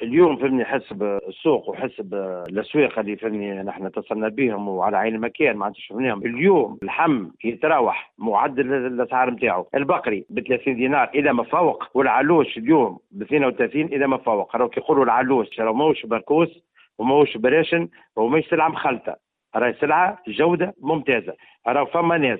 اليوم فهمني حسب السوق وحسب الاسواق اللي فهمني نحن اتصلنا بهم وعلى عين المكان معناتها شفناهم. اليوم اللحم يتراوح معدل الاسعار نتاعو، البقري ب 30 دينار الى ما فوق، والعلوش اليوم ب 32 الى ما فوق. راهو كيقولوا العلوش راهو ماهوش بركوس وماهوش براشن وماهيش سلعه مخلطه، راهي سلعه جوده ممتازة. راهو فما ناس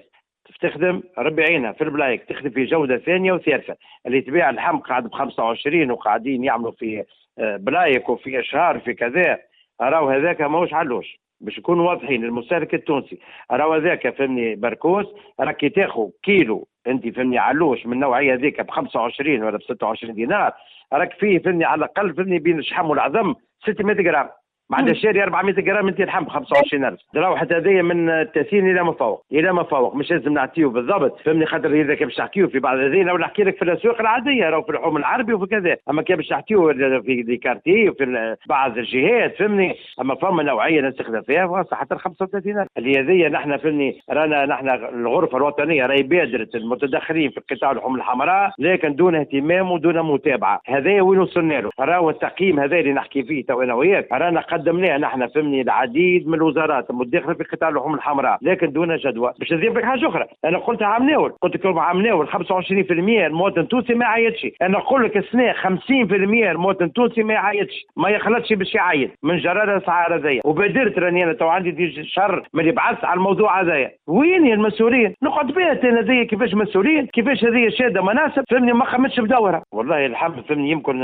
تخدم ربي عينها في البلايك، تخدم في جوده ثانية وثالثه، اللي تبيع اللحم قاعد ب 25 وقاعدين يعملوا في بلايك وفي اشهار في كذا، راهو هذاك ماهوش علوش. باش نكونوا واضحين المستهلك التونسي، راهو هذاك فهمني بركوس، راك كي تاخذ كيلو انت فهمني علوش من النوعية هذيك ب 25 ولا ب 26 دينار، راك فيه فهمني على الاقل فهمني بين الشحم والعظم 600 غرام، معناتها شاري 400 غرام انت لحم ب 25000. راهو هذايا من 30 الى ما فوق، الى ما فوق، مش لازم نعطيو بالضبط فهمني، خاطر اذا كان باش نحكيو في بعض هذين ولا نحكي لك في الاسواق العادية راهو في الحوم العربي وفي كذا، اما كان باش نحكيو في des quartiers وفي بعض الجهات فهمني، اما فما نوعية نستخدم فيها حتى 35000 اللي هذيا نحن فهمني رانا نحن الغرفة الوطنية راهي بادرت المتدخلين في قطاع اللحوم الحمراء، لكن دون اهتمام ودون متابعه. هذا وين وصلنا له؟ راهو التقييم هذا اللي نحكي فيه تو انا وياك رانا قدمناه نحن فهمني العديد من الوزارات المتداخله في قطاع اللحوم الحمراء، لكن دون جدوى. باش نزيد لك حاجة اخرى، انا قلت عام ناول، قلت لكم عام ناول 25% المواطن التونسي ما يعيطش، انا نقول لك السنة 50% المواطن التونسي ما يعيطش، ما يخلطش باش يعيط من جرار الاسعار هذيا. وبادرت راني انا تو عندي دي شهر ملي بعثت على الموضوع هذايا. وين المسؤولين؟ نقعد بها انا هذيا كيفاش مسؤولين؟ كيفاش هذيا شاده مناصب فهمني ما خمتش بدورها. والله الحمد فهمني يمكن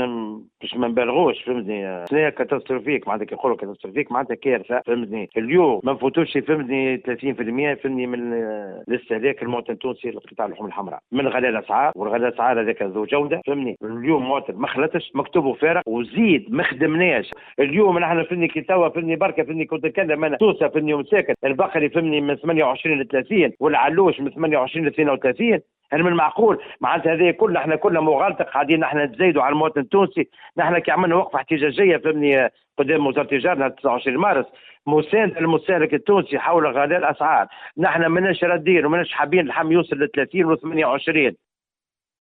باش ما نبالغوش فهمني سنة catastrophique، معناتها كي يقولوا catastrophique معناتها كارثة فهمتني. اليوم ما نفوتوش فهمتني 30% فهمتني من الاستهلاك المواطن التونسي لقطاع اللحوم الحمراء، من غلاء الاسعار، والغلاء الاسعار هذاك ذو جوده فهمني. اليوم مواطن ما خلطش مكتوبة فارغ وزيد ما خدمناش. اليوم نحن فهمني كي توا فهمني بركة فهمني كنت نتكلم انا توسه فهمني ومساكن البقري فهمني من 28 ل 30 والعلوش من 28 ل 32. هل من المعقول معناتها هذه كلنا احنا كلنا مغالطة قاعدين نحن نتزايدوا على المواطن التونسي؟ نحن كي عملنا وقفه احتجاجية فهمني قدام وزارة التجارة 29 مارس مساندة للمستهلك التونسي حول غلاء الاسعار، نحن ماناش رادين وماناش حابين اللحم يوصل ل 30 و 28.